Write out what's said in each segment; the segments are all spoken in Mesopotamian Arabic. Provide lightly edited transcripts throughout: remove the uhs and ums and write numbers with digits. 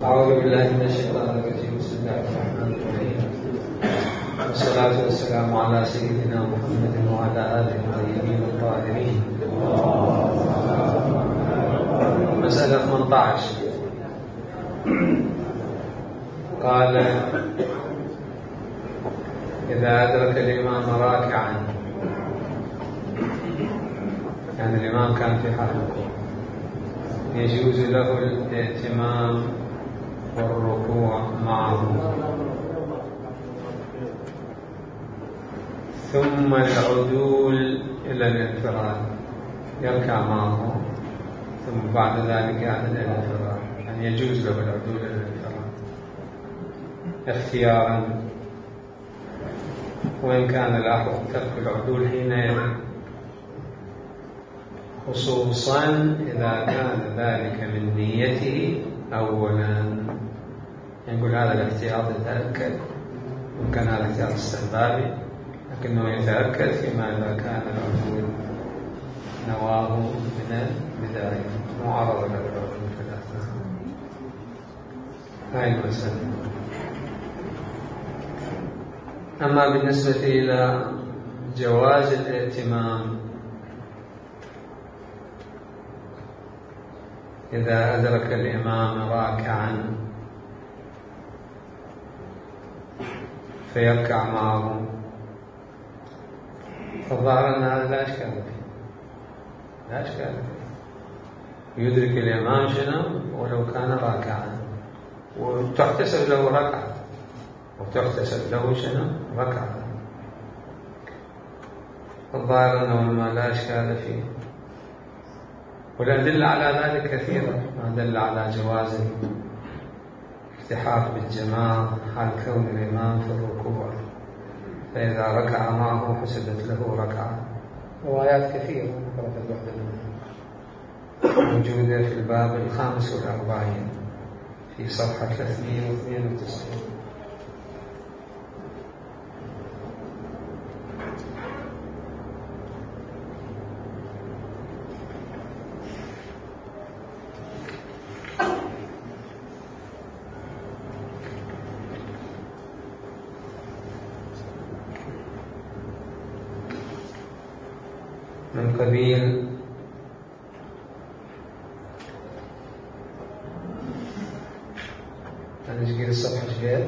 أعوذ بالله من الشيطان الرجيم. بسم الله الرحمن الرحيم، والصلاة والسلام على سيدنا محمد وعلى آله الطيبين الطاهرين. مسألة 18. قال: إذا أدرك الإمام راكعا، يعني الإمام كان في حال الركوع، يجوز له الائتمام والركوع معه، ثم العدول إلى الانفراد، يركع معه ثم بعد ذلك يعمل إلى الانفراد، يعني يجوز له العدول إلى الانفراد اختيارا، وإن كان الأحوط ترك العدول حينئذ، خصوصا إذا كان ذلك من نيته أولا. يقول هذا الاحتياط يتأكد، وكان هذا الاحتياط استحبابي، لكنه يتأكد فيما إذا كان العدول نواه من البداية، معرض للعدول في الأثناء. هاي المسألة. أما بالنسبة إلى جواز الائتمام، إذا أدرك الإمام راكعا فيركع معه، فالظاهر أن هذا لا إشكال فيه، لا إشكال فيه، يدرك الإمام شنو ولو كان راكعا، وتحتسب له ركعة، وتحتسب له شنو ركعة. الظاهر أنه ما لا إشكال فيه، والأدلة على ذلك كثيرة، أدلة على جواز الالتحاق بالجماعة حال كون الإمام في الركوع، فإذا ركع معه حسبت له ركعة. روايات كثيرة ذكرت الوحدة موجودة في الباب 45 في صفحة 392. من قبيل أنا أشكيل الصفحة شكال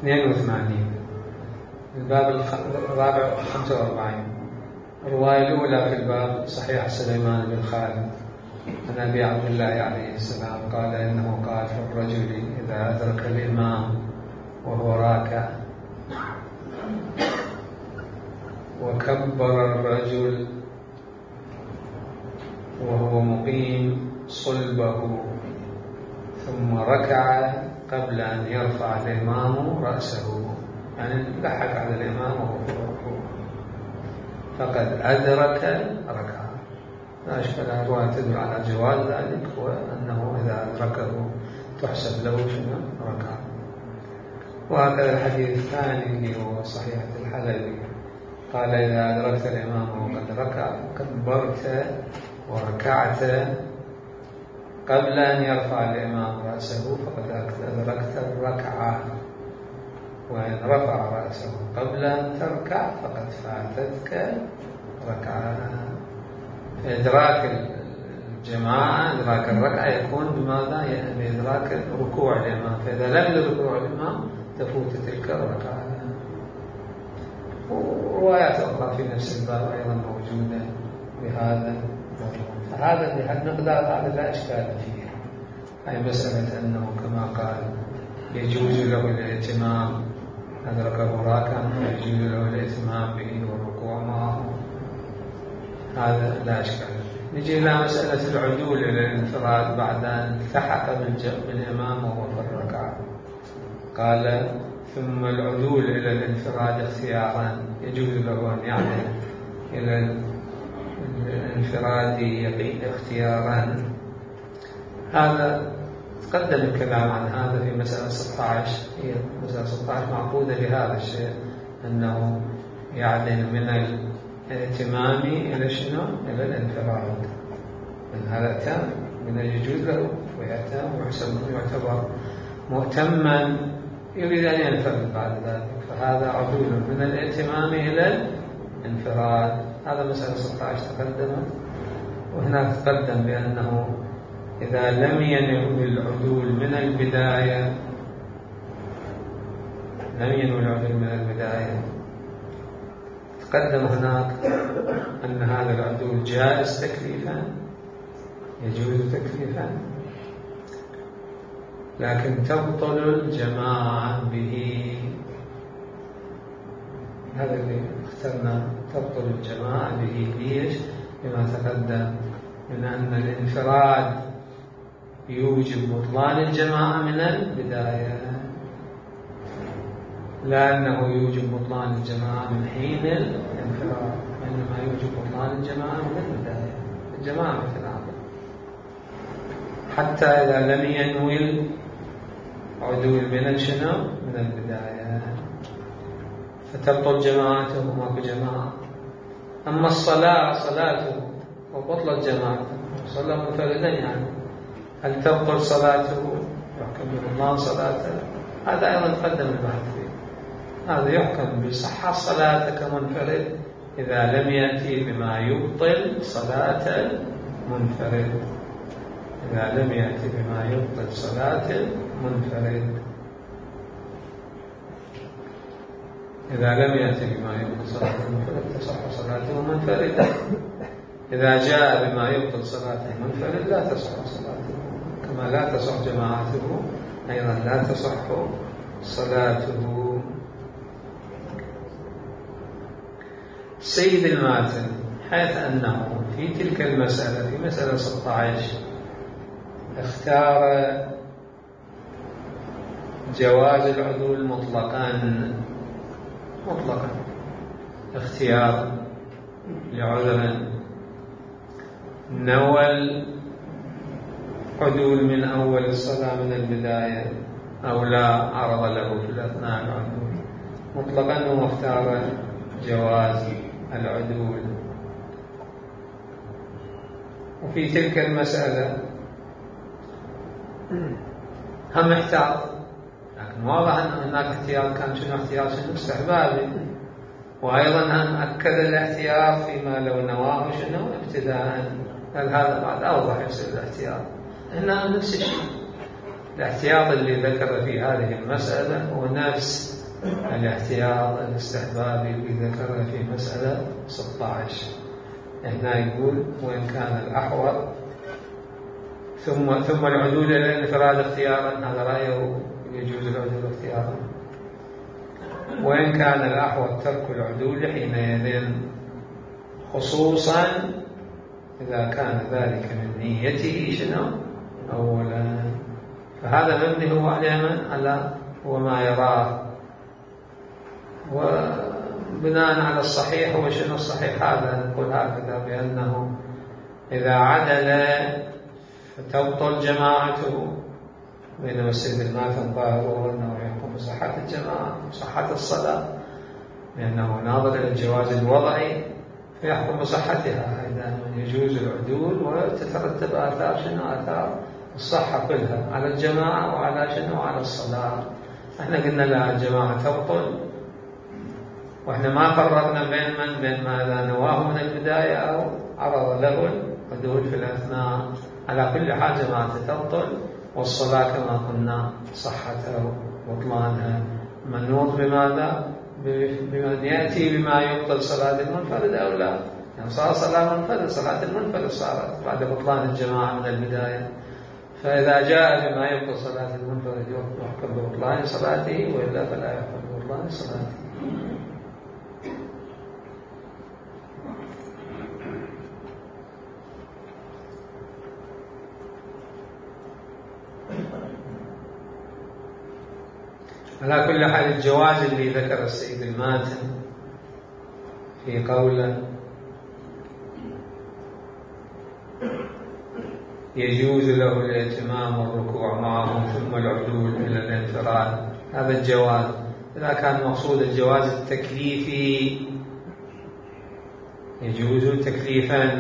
82 الباب الرابع 45. الرواية الأولى في الباب صحيح سليمان بن خالد عن أبي عبد الله عليه السلام قال إنه قال في الرجل إذا أدرك الإمام وهو راكع وكبر الرجل وهو مقيم صلبه ثم ركع قبل أن يرفع الإمام رأسه، يعني لحق على الإمام وهو في الركوع، فقد أدرك ركعة. لا أشكال. الرواية تدل على جواز ذلك، وأنه إذا أدركه تحسب له شنو ركعة. وهكذا الحديث الثاني اللي هو صحيح الحلبي قال إذا أدركت الإمام وقد ركع كبرت وركعت قبل أن يرفع الإمام رأسه فقد أدركت الركعة، وإن رفع رأسه قبل أن تركع فقد فاتتك ركعة. إدراك الجماعة، إدراك الركعة يكون بماذا؟ بإدراك ركوع الإمام، فإذا لم يدرك ركوع الإمام تفوت تلك الركعة. وروايات أخرى في نفس الباب أيضا موجودة بهذا، فهذا المقدار هذا لا إشكال فيه. أي مسألة أنه كما قال يجوز له الائتمام، أدركه راكعا يجوز له الائتمام به والركوع معه، هذا لا إشكال. نجي إلى مسألة العدول إلى الانفراد بعد أن التحق بالإمام وهو في الركعة. قال ثم العدول إلى الانفراد اختيارا، يجوز له أن يعمل إلى الانفراد اختيارا. هذا تقدم الكلام عن هذا في مسألة 16. هي مسألة 16 معقودة لهذا الشيء، أنه يعدل من الائتمام إلى شنو؟ إلى الانفراد، من هذا تام من يجوز له ويأتم ويعتبر مؤتما يريد أن ينفرد بعد ذلك، فهذا عدول من الائتمام إلى الانفراد. هذا مسألة 16 تقدمت، وهناك تقدم بأنه إذا لم ينوي العدول من البداية تقدم هناك أن هذا العدول جائز تكليفا، يجوز تكليفا، لكن تبطل الجماعة به. هذا اللي اخترنا، تبطل الجماعة به. ليش؟ بما تقدم من أن الانفراد يوجب بطلان الجماعة من البداية، لا أنه يوجب بطلان الجماعة من حين الانفراد، وإنما يوجب بطلان الجماعة من البداية. الجماعة مثل هذا، حتى إذا لم ينوي العدول من البداية فتبطل جماعته وماكو جماعة. أما صلاته وبطلت جماعته، صلى منفردا، يعني هل تبطل صلاته؟ يحكم ببطلان صلاته؟ هذا أيضا تقدم البحث فيه. هذا يحكم بصحة صلاته كمنفرد إذا لم يأتي بما يبطل صلاة المنفرد. إذا لم يأتي بما يبطل صلاة المنفرد، إذا لم يأتي بما يبطل صلاة المنفرد تصح صلاته منفردا. إذا جاء بما يبطل صلاة المنفرد لا تصح صلاته، كما لا تصح جماعته أيضا لا تصح صلاته. سيد الماتن حيث أنه في تلك المسألة، في مسألة 16، اختار جواز العدول مطلقا، اختيار لعذر، نوى العدول من أول الصلاة من البداية أو لا عرض له في الأثناء العدول مطلقا، واختار جواز العدول. وفي تلك المسألة هم احتاط، لكن واضح أن هناك احتياط، كان شنو احتياط؟ شنو استحبابي. وأيضا هم أكد الاحتياط فيما لو نواه شنو ابتداء، قال هذا بعد أوضح يصير الاحتياط. هنا نفس الشيء، الاحتياط اللي ذكر في هذه المسألة هو نفس الاحتياط الاستحبابي اللي ذكر في مسألة 16. هنا يقول وإن كان الأحوط ثم العدول إلى الانفراد اختيارا، هذا رأيه يجوز العدول اختيارا. وإن كان الأحوط ترك العدول حينئذ، خصوصا إذا كان ذلك من نيته شنو أولا. فهذا مبني هو على هو ما يراه، وبناء على الصحيح. هو شنو الصحيح؟ هذا نقول هكذا بأنه إذا عدل فتبطل جماعته، بينما السيد الماتن ظاهره أنه يحكم بصحة الجماعة وصحة الصلاة، لأنه ناظر إلى الجواز الوضعي فيحكم بصحتها. إذا يجوز العدول وتترتب آثار شنو؟ آثار الصحة كلها على الجماعة وعلى شنو؟ على الصلاة. احنا قلنا لا، الجماعة تبطل، واحنا ما فرقنا بين ما إذا نواه من البداية أو عرض له العدول في الأثناء. على كل حال جماعة تبطل، والصلاة كما قلنا صحتها وبطلانها منوط بماذا؟ بمن يأتي بما يبطل صلاة المنفرد أو لا. يعني صار صلاة منفرد، صلاة المنفرد صارت بعد بطلان الجماعة من البداية. فإذا جاء بما يبطل صلاة المنفرد يحكم ببطلان صلاته، وإلا فلا يحكم ببطلان صلاته. على كل حال الجواز اللي ذكر السيد الماتن في قوله يجوز له الائتمام والركوع معهم ثم العدول إلى الانفراد، هذا الجواز. إذا كان مقصود الجواز التكليفي يجوز تكليفا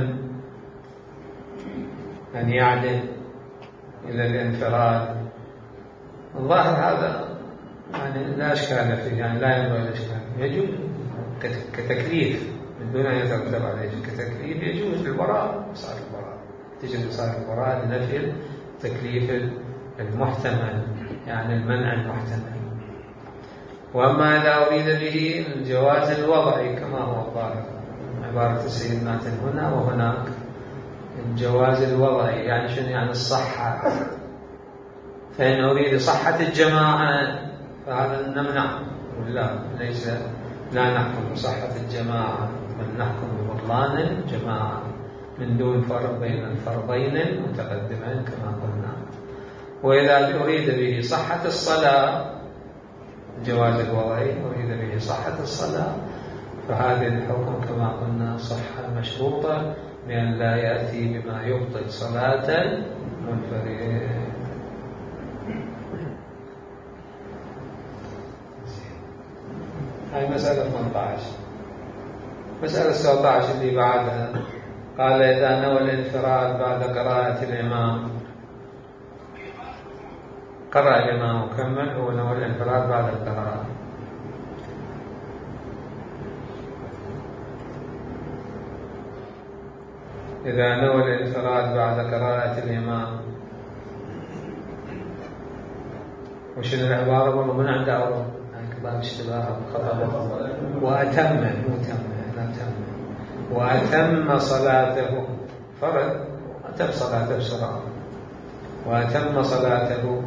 أن يعدل إلى الانفراد. الظاهر هذا يعني لا إشكال فيه، يعني لا ينبغي الإشكال، يجوز كتكليف من دون أن يترتب عليه كتكليف، يجوز البراء صار البراء، تجد صار البراء لنفي التكليف المحتمل، يعني المنع المحتمل. وأما إذا أريد به الجواز الوضعي كما هو الظاهر عبارة السيد ماتن هنا وهناك، الجواز الوضعي يعني شنو؟ يعني الصحة. فإن أريد صحة الجماعة فهذا نمنع، ولا ليس، لا نحكم بصحة الجماعة بل نحكم ببطلان الجماعة من دون فرق بين الفرضين المتقدمين كما قلنا. وإذا أريد به صحة الصلاة، الجواز الوضعي أريد به صحة الصلاة، فهذه الحكم كما قلنا صحة مشروطة بأن لا يأتي بما يبطل صلاة المنفرد. هاي مسألة 18. مسألة 17 اللي بعدها قال إذا نوى الانفراد بعد قراءة الإمام، قرأ الإمام وكمل، هو نوى الانفراد بعد القراءة. إذا نوى الانفراد بعد قراءة الإمام، وشنو العبارة؟ والله من عنده عبارة باب اشتباه وأتم صلاته، فرد أتم صلاته بسرعة، وأتم صلاته،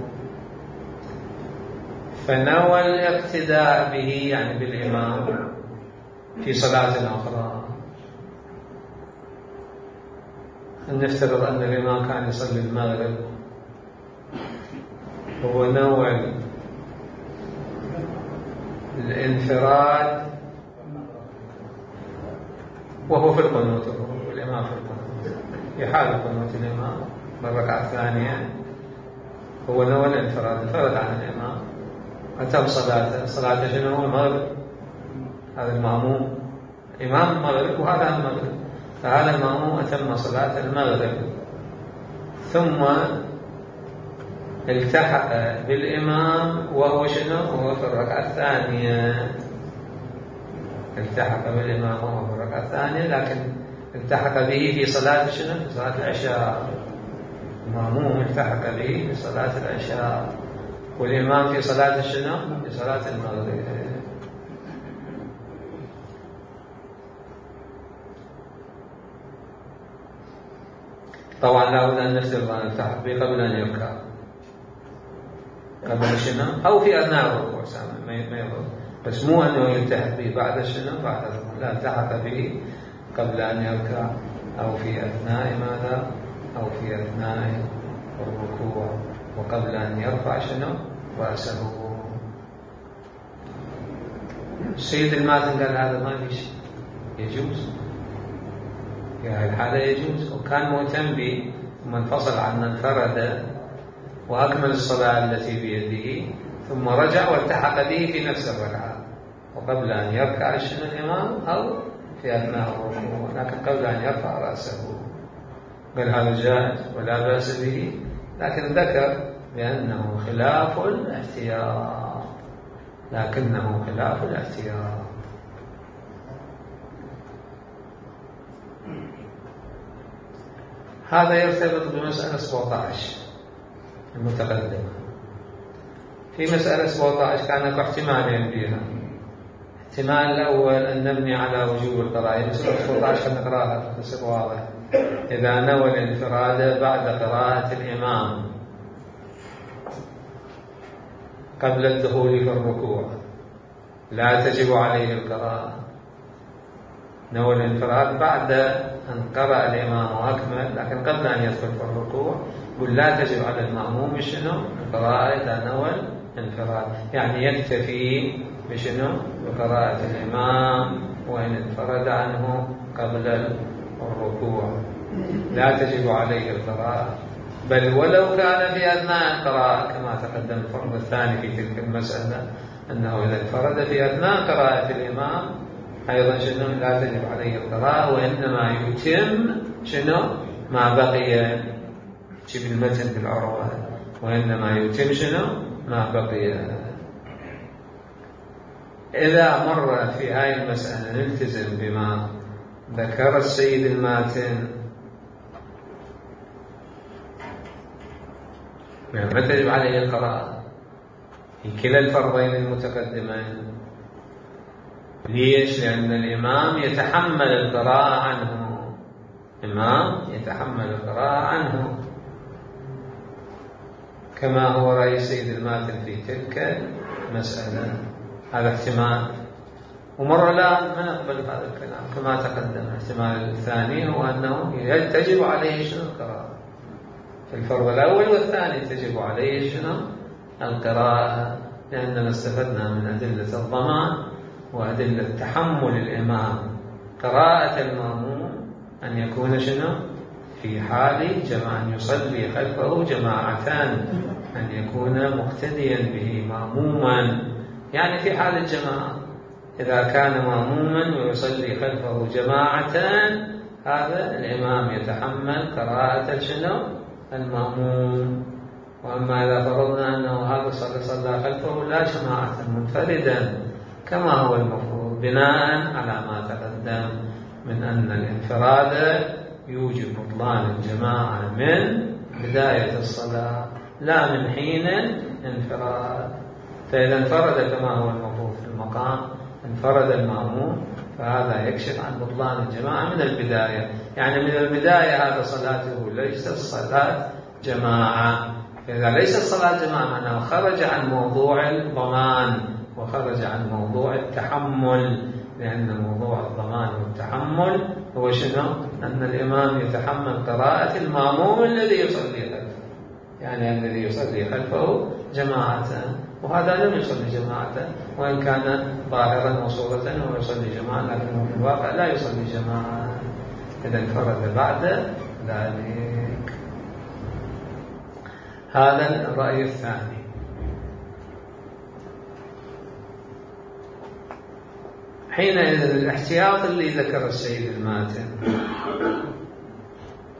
فنوى الاقتداء به يعني بالإمام في صلاة أخرى. نفترض أن الإمام كان يصلي المغرب، هو نوى الانفراد وهو في القنوت، والإمام في القنوت، في حال قنوت الإمام بالركعة الثانية هو نوى الانفراد، انفرد عن الإمام، أتم صلاته شنو؟ هو المغرب، هذا المأموم إمام المغرب وهذا المغرب، فهذا المأموم أتم صلاة المغرب، ثم التحق بالإمام وهو شنو؟ وهو في الركعة الثانية، التحق بالإمام وهو في الركعة الثانية، لكن التحق به في صلاة شنو؟ في صلاة العشاء. المأموم التحق به في صلاة العشاء، والإمام في صلاة شنو؟ في صلاة المغرب. طبعا لا بد أن نفترض أن التحق به قبل أن يركع، قبل شنو؟ أو في أثناء الركوع ما يضر، بس مو أنه يلتحق به بعد شنو؟ بعد الركوع، لا، التحق به قبل أن يركع أو في أثناء ماذا؟ أو في أثناء الركوع، وقبل أن يرفع شنو؟ رأسه. السيد الماتن قال هذا ما في شيء، يجوز في هذه الحالة يجوز، وكان مهتم به ثم انفصل عنا انفرد وأكمل الصلاة التي بيده، ثم رجع والتحق به في نفس الركعة، وقبل أن يركع شنو الإمام أو في أثناء الركوع، لكن قبل أن يرفع رأسه. قال هذا جائز ولا بأس به، لكن ذكر بأنه خلاف الاحتياط، لكنه خلاف الاحتياط. هذا يرتبط بمسألة 17 المتقدمة. في مسألة 17 كان احتمالين فيها. الاحتمال الأول أن نبني على وجوب القراءة، مسألة 17 نقراها بصير واضح. إذا نوى الانفراد بعد قراءة الإمام قبل الدخول في الركوع لا تجب عليه القراءة. نوى الانفراد بعد أن قرأ الإمام وأكمل، لكن قبل أن يدخل في الركوع قل لا تجب على المأموم شنو؟ القراءة إذا نوى الانفراد، يعني يكتفي بشنو؟ بقراءة الإمام وإن انفرد عنه قبل الركوع، لا تجب عليه القراءة، بل ولو كان في أثناء القراءة كما تقدم الفرض الثاني في تلك المسألة، أنه إذا انفرد في أثناء قراءة الإمام أيضا شنو لا تجب عليه القراءة، وإنما يتم شنو ما بقي في المتن بالعروة، وإنما يتم شنو ما بقي. إذا مر في هاي المسألة نلتزم بما ذكر السيد الماتن، ما تجب عليه القراءة في كلا الفرضين المتقدمين. ليش؟ لأن الإمام يتحمل القراءة عنه، الإمام يتحمل القراءة عنه، كما هو رأي السيد الماتن في تلك المسألة. هذا احتمال. ومرة لا ما نقبل هذا الكلام كما تقدم. الاحتمال الثاني هو أنه تجب عليه شنو القراءة في الفرض الأول والثاني، تجب عليه شنو القراءة، لأننا استفدنا من أدلة الضمان وأدلة تحمل الإمام قراءة المأموم أن يكون شنو في حال أن يصلي خلفه جماعتان، أن يكون مقتديا به مأموما، يعني في حال الجماعة إذا كان مأموما ويصلي خلفه جماعتان، هذا الإمام يتحمل قراءة شنو المأموم. وأما إذا فرضنا أنه هذا صلى خلفه لا جماعة منفردا كما هو المفروض، بناء على ما تقدم من أن الانفراد يوجب بطلان الجماعة من بداية الصلاة لا من حين انفراد. فإذا انفرد كما هو المفروض في المقام، انفرد المأموم، فهذا يكشف عن بطلان الجماعة من البداية. يعني من البداية هذا صلاته ليست صلاة جماعة. إذا ليست صلاة جماعة معناه خرج عن موضوع الضمان وخرج عن موضوع التحمل، لأن موضوع الضمان والتحمل هو شنو؟ أن الإمام يتحمل قراءة المأموم الذي يصلي خلفه، يعني الذي يصلي خلفه جماعة، وهذا لم يصلي جماعة وإن كان ظاهرا وصورة هو يصلي جماعة، لكنه في الواقع لا يصلي جماعة. إذا انفرد بعد ذلك. هذا الرأي الثاني. حينئذ الاحتياط اللي ذكر السيد الماتن،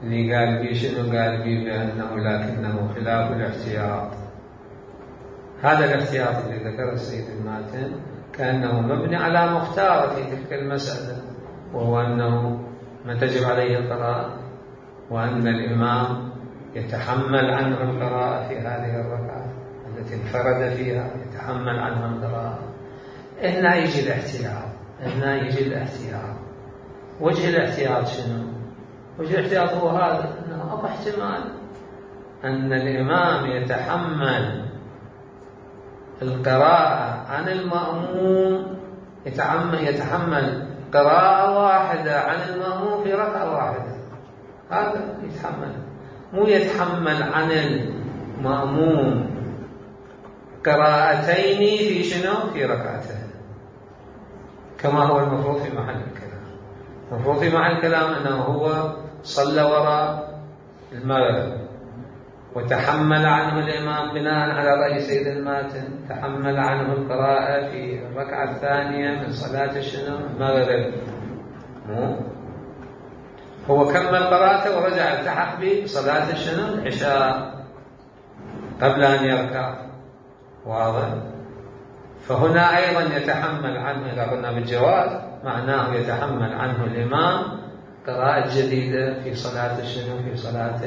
اللي قال بي شنو؟ قال بي بأنه لكنه خلاف الاحتياط. هذا الاحتياط اللي ذكر السيد الماتن كأنه مبني على مختار في تلك المسألة، وهو أنه ما تجب عليه القراءة، وأن الإمام يتحمل عنه القراءة في هذه الركعة التي انفرد فيها، يتحمل عنه القراءة. هنا يجي الاحتياط، هنا يجي الاحتياط. وجه الاحتياط شنو؟ وجه الاحتياط هو هذا، أنه أبو احتمال أن الإمام يتحمل القراءة عن المأموم، يتحمل قراءة واحدة عن المأموم في ركعة واحدة، هذا يتحمل، مو يتحمل عن المأموم قراءتين في شنو؟ في ركعتين، كما هو المفروض في محل الكلام. المفروض في محل الكلام أنه هو صلى وراء المغرب وتحمل عنه الإمام بناء على رأي سيد الماتن، تحمل عنه القراءة في الركعة الثانية من صلاة شنو؟ المغرب. هو كمل قراءته ورجع التحق بصلاة شنو؟ العشاء قبل أن يركع. واضح؟ فهنا أيضا يتحمل عنه، إذا قلنا بالجواز معناه يتحمل عنه الإمام قراءة جديدة في صلاة شنو؟ في صلاة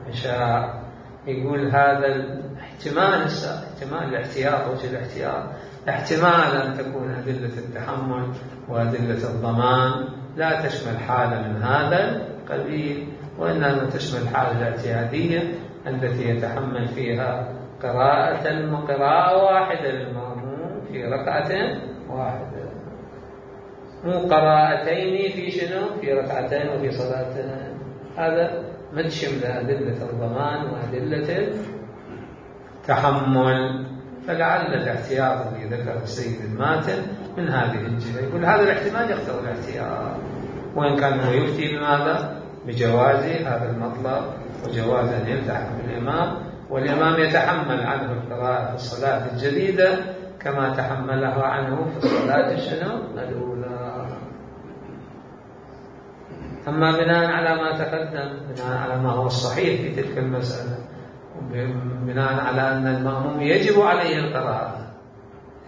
العشاء. يقول هذا الاحتمال، احتمال الاحتياط، وجه الاحتياط احتمال أن تكون أدلة التحمل وأدلة الضمان لا تشمل حالة من هذا القبيل، وإنما تشمل الحالة الاعتيادية التي يتحمل فيها قراءة واحدة للمأموم في ركعة واحدة، مو قراءتين في شنو؟ في ركعتين وفي صلاتين. هذا ما تشمل أدلة الضمان وأدلة التحمل. فلعل الاحتياط الذي ذكر السيد الماتن من هذه الجهة. يقول هذا الاحتمال يقتضي الاحتياط، وإن كان هو يفتي بماذا؟ بجواز هذا المطلب وجواز أن يلتحق بالإمام، والإمام يتحمل عنه القراءة في الصلاة الجديدة كما تحملها عنه في الصلاة شنو؟ الأولى. أما بناء على ما تقدم، بناء على ما هو الصحيح في تلك المسألة، بناء على أن المأموم يجب عليه القراءة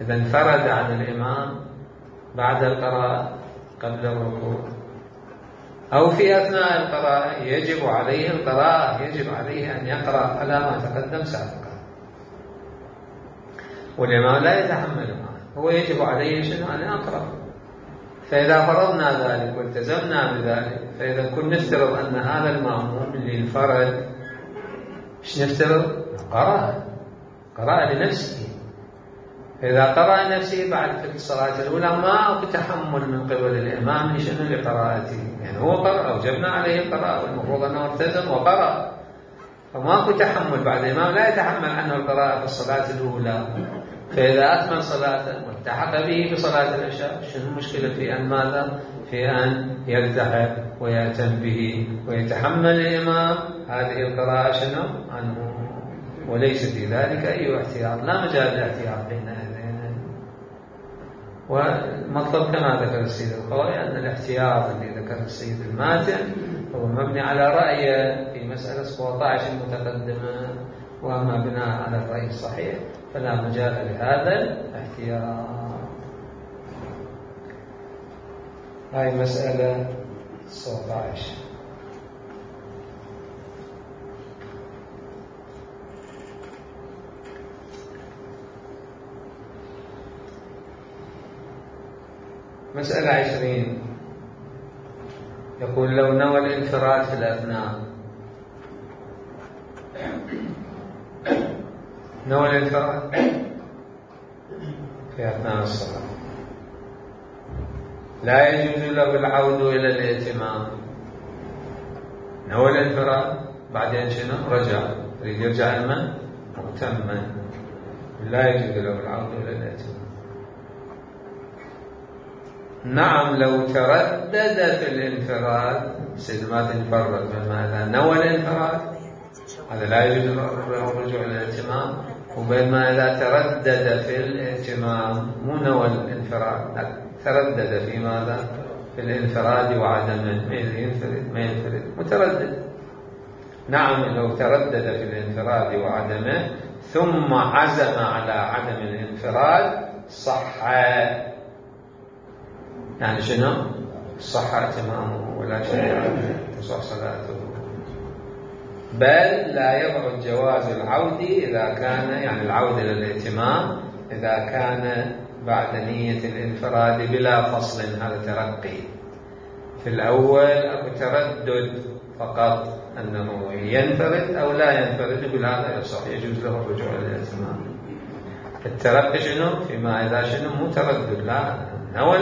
إذا انفرد عن الإمام بعد القراءة قبل الركوع، أو في أثناء القراءة يجب عليه القراءة، يجب عليه أن يقرأ على ما تقدم سابقا، والإمام لا يتحمل معه، هو يجب عليه شنو؟ أن يقرأ. فإذا فرضنا ذلك والتزمنا بذلك، فإذا كنا نفترض أن هذا المأموم اللي انفرد، إيش نفترض؟ قرأ لنفسه. فإذا قرأ لنفسه بعد في الصلاة الأولى ما أكو تحمل من قبل الإمام شنو لقراءته، يعني هو قرأ، أوجبنا عليه القراءة والمفروض أنه التزم وقرأ، فما أكو تحمل بعد الإمام لا يتحمل عنه القراءة في الصلاة الأولى. فإذا أكمل صلاته والتحق به بصلاة العشاء، شنو المشكلة في أن ماذا؟ في أن يلتحق ويأتم به ويتحمل الإمام هذه القراءة شنو؟ عنه، وليس في ذلك أي احتياط، لا مجال للاحتياط بين هذين. والمطلب كما ذكر السيد الخوئي أن الاحتياط الذي ذكر السيد الماتن هو مبني على رأيه في مسألة 17 المتقدمة، وأما بناء على الرأي الصحيح فلا مجال لهذا الاحتياط. هاي مسألة 17. مسألة 20 يقول لو نوى الانفراد في الأثناء، نوى الانفراد في أثناء الصلاة لا يجوز له العود إلى الائتمام. نوى الانفراد بعدين شنو؟ رجع، يريد يرجع لمن؟ مؤتما، لا يجوز له العود إلى الائتمام. نعم لو تردد في الانفراد، سيد ما تنفرد بماذا؟ نوى الانفراد، هذا لا يجوز له الرجوع إلى الائتمام. وبينما إذا تردد في الائتمام، مو نوى الانفراد، تردد في ماذا؟ في الانفراد وعدمه، ما ينفرد متردد. نعم لو تردد في الانفراد وعدمه ثم عزم على عدم الانفراد صح، يعني شنو؟ صح اتمامه ولا شيء تصح صلاته، بل لا يبعد جواز العود إذا كان، يعني العود إلى الائتمام إذا كان بعد نية الانفراد بلا فصل. هذا ترقي. في الأول أو تردد فقط أنه ينفرد أو لا ينفرد، يقول هذا يصح، يجوز له الرجوع إلى الائتمام. الترقي شنو؟ فيما إذا شنو؟ مو تردد، لا نوى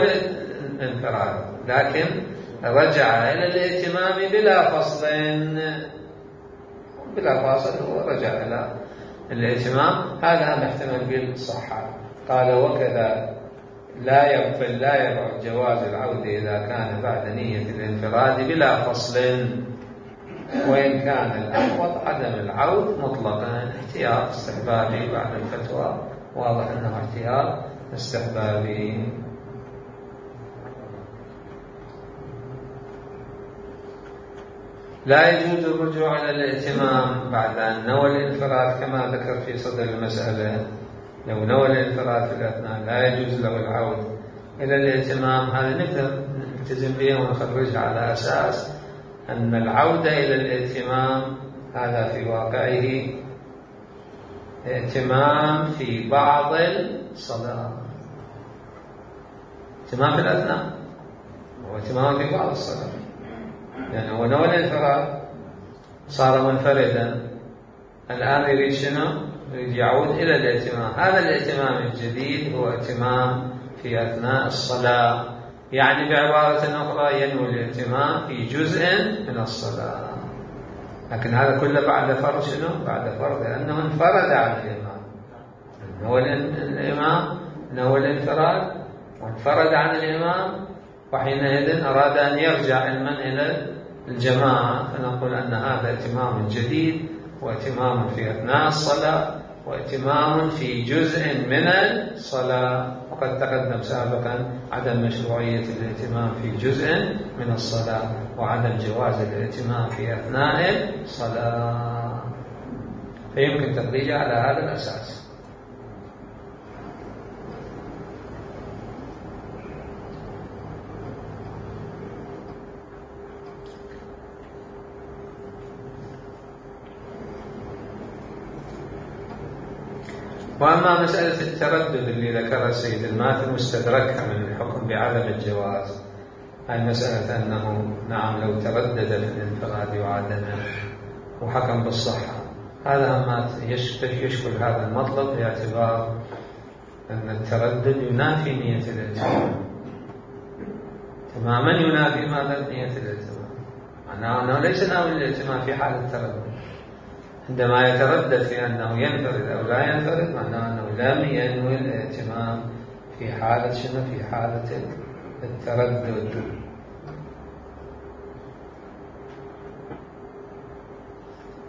الانفراد لكن رجع إلى الائتمام بلا فصل، بلا فاصل هو رجع إلى الائتمام، هذا محتمل بالصحة. قال وكذا لا يبعد جواز العود إذا كان بعد نية الانفراد بلا فصل، وإن كان الأحوط عدم العود مطلقا، احتياط استحبابي بعد الفتوى، واضح أنه احتياط استحبابي. لا يجوز الرجوع إلى الائتمام بعد أن نوى الانفراد كما ذكر في صدر المسألة. لو نوى الانفراد في الأثناء لا يجوز له العود إلى الائتمام. هذا نقدر نلتزم به ونخرجها على أساس أن العودة إلى الائتمام هذا في واقعه ائتمام في بعض الصلاة، ائتمام في الأثناء هو ائتمام في بعض الصلاة، يعني هو نوى الانفراد صار منفردا، الآن يريد شنو؟ يريد يعود إلى الائتمام. هذا الائتمام الجديد هو ائتمام في أثناء الصلاة، يعني بعبارة أخرى ينوي الائتمام في جزء من الصلاة، لكن هذا كله بعد فرض شنو؟ بعد فرض لأنه انفرد عن الإمام. هو الإمام نوى الانفراد وانفرد عن الإمام، وحينئذ أراد أن يرجع علما إلى الجماعة، فنقول أن هذا ائتمام جديد، وائتمام في أثناء الصلاة، وائتمام في جزء من الصلاة، وقد وقد تقدم سابقا عدم مشروعية الائتمام في جزء من الصلاة وعدم جواز الائتمام في أثناء الصلاة، فيمكن تخريجها على هذا الأساس. وأما مسألة التردد اللي ذكرها السيد الماثل واستدركها من الحكم بعدم الجواز، هاي مسألة أنه نعم لو تردد في الانفراد وعدمه وحكم بالصحة، هذا ما يشكل هذا المطلب باعتبار أن التردد ينافي نية الائتمام تماما، ينافي ماذا؟ نية الائتمام، معناه أنه ليس ناوي الائتمام في حال التردد. عندما يتردد في أنه ينفرد أو لا ينفرد معناه أنه لم ينوي الائتمام في حالة شنو؟ في حالة التردد.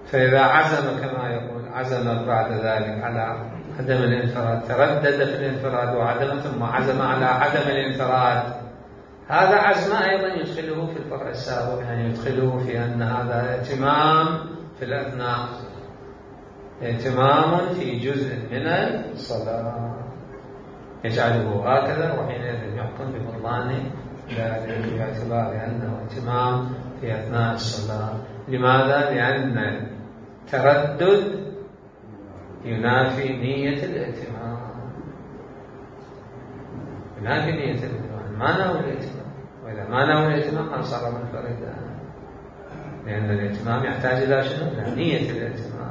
فإذا عزم كما يقول، عزم بعد ذلك على عدم الانفراد، تردد في الانفراد وعدم ثم عزم على عدم الانفراد، هذا عزم أيضا يدخله في الفرع السابق، يعني يدخله في أن هذا ائتمام في الأثناء، ائتمام في جزء من الصلاة يجعله هكذا، وحينئذ يحكم ببطلان ذلك باعتبار أنه ائتمام في أثناء الصلاة. لماذا؟ لأن التردد ينافي نية الائتمام، ينافي نية الائتمام، ما نوى الائتمام، وإذا ما نوى الائتمام صار منفردا، لأن الائتمام يحتاج إلى شنو؟ إلى نية الائتمام.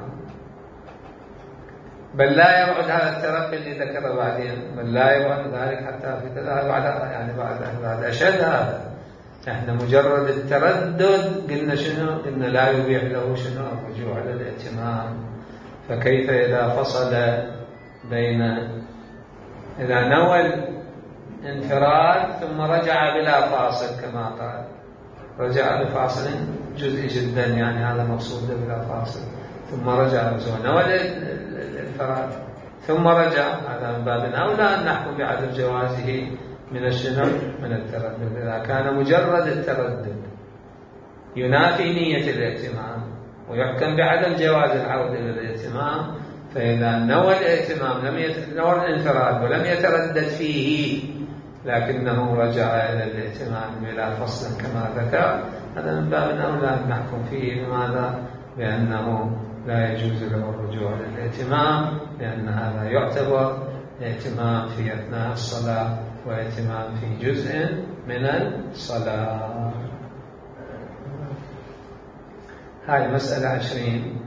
بل لا يبعد هذا الترقي اللي ذكره بعدين، بل لا يبعد ذلك حتى في كذا بعد أشد هذا. احنا مجرد التردد قلنا شنو؟ قلنا لا يبيح له شنو؟ الرجوع على الائتمام. فكيف إذا فصل بين، إذا نوى الانفراد ثم رجع بلا فاصل كما قال، رجع بفاصل جزئي جدا، يعني هذا مقصود بلا فاصل، ثم رجع نوى الانفراد ثم رجع، هذا من باب أولى أن نحكم بعدم جوازه من الشنو؟ من التردد. إذا كان مجرد التردد ينافي نية الائتمام ويحكم بعدم جواز العودة إلى الائتمام، فإذا نوى الائتمام نوى الانفراد ولم يتردد فيه لكنه رجع إلى الائتمام بلا فصل كما ذكر، هذا من باب أولى أن نحكم فيه. لماذا؟ بأنه لا يجوز له الرجوع للائتمام، لأن هذا يعتبر ائتمام في أثناء الصلاة وائتمام في جزء من الصلاة. هذه مسألة 20،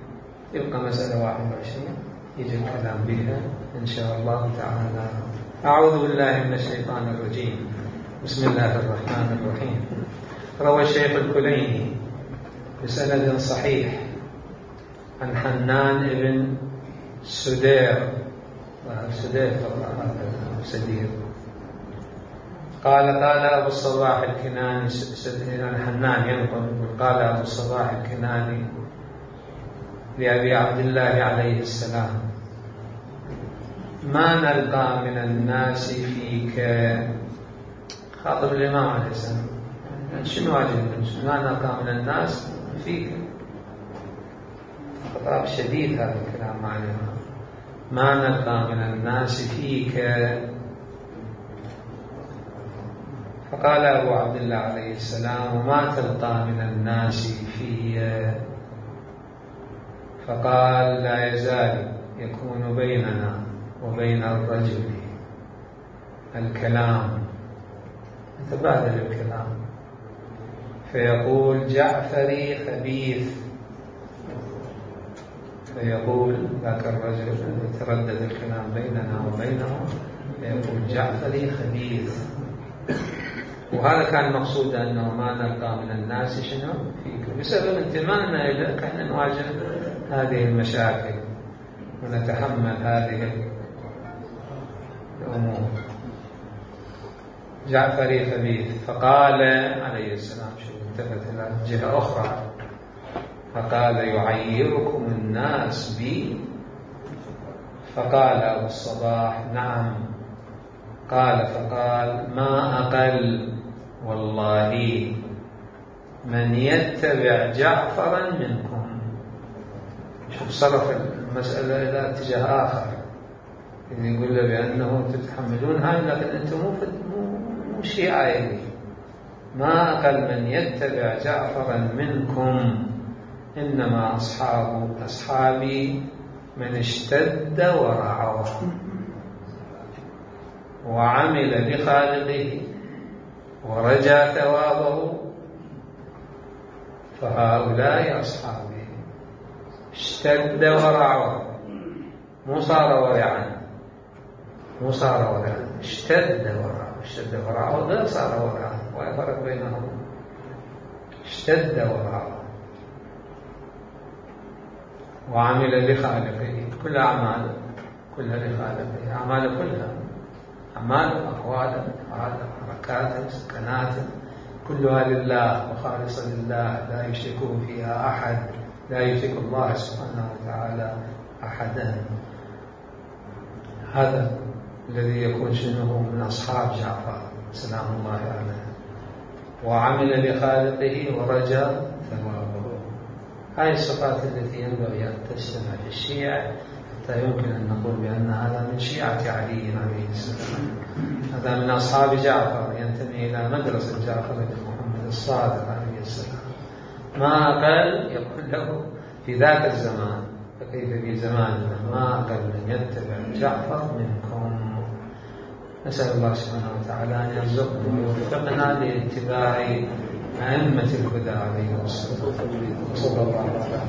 يبقى مسألة 21 يجي الكلام بها إن شاء الله تعالى. أعوذ بالله من الشيطان الرجيم، بسم الله الرحمن الرحيم. روى الشيخ الكليني بسند صحيح عن حنان بن سدير قال أبو الصباح الكناني، عن حنان ينقل قال أبو الصباح الكناني لأبي عبد الله عليه السلام: ما نلقى من الناس فيك. خاطب الإمام عليه السلام، شنو هذا؟ ما نلقى من الناس فيك، خطاب شديد هذا الكلام مع الإمام. ما نلقى من الناس فيك. فقال أبو عبد الله عليه السلام: وما تلقى من الناس في؟ فقال: لا يزال يكون بيننا وبين الرجل الكلام، يتبادل الكلام، فيقول: جعفري خبيث، فيقول ذاك الرجل يتردد الكلام بيننا وبينه، فيقول: جعفري خبيث. وهذا كان مقصود أنه ما نلقى من الناس شنو فيك، بسبب انتمائنا إليك احنا نواجه هذه المشاكل ونتحمل هذه الأمور. جعفري خبيث. فقال عليه السلام، شو التفت إلى جهة أخرى، فقال: يعيركم الناس بي؟ فقال أبو الصباح: نعم، فقال ما أقل والله من يتبع جعفرا منكم. شوف صرف المسألة إلى اتجاه آخر، يقول له بأنه تتحملون هاي لكن أنتم مو شيعة. ما أقل من يتبع جعفرا منكم إنما أصحابي من اشتد ورعى وعمل بخالقه ورجى ثوابه فهؤلاء أصحابي. اشتد ورعى، مو صار ورعا، اشتد ورعى غير صار ورعا، ولا فرق بينهم. اشتد ورعى وعمل بخالقه، كل أعماله كلها لخالقه، أعماله كلها، أعماله أقواله أفعاله حركاته سكناته كلها لله وخالصة لله، لا يشركه فيها أحد، لا يشرك الله سبحانه وتعالى أحدا. هذا الذي يكون شنو من أصحاب جعفر سلام الله عليه. وعمل بخالقه ورجى ثوابه. هذه الصفات التي ينبغي أن تجتمع في الشيعة حتى يمكن أن نقول بأن هذا من شيعة علي عليه السلام، هذا من أصحاب جعفر، ينتمي إلى مدرسة جعفر بن محمد الصادق عليه السلام. ما أقل يقول له في ذاك الزمان، فكيف في زماننا؟ ما أقل من يتبع جعفر منكم. نسأل الله سبحانه وتعالى أن يرزقنا ويوفقنا لاتباع أئمة الهدى عليه الصلاة والسلام. صلى الله عليه وسلم.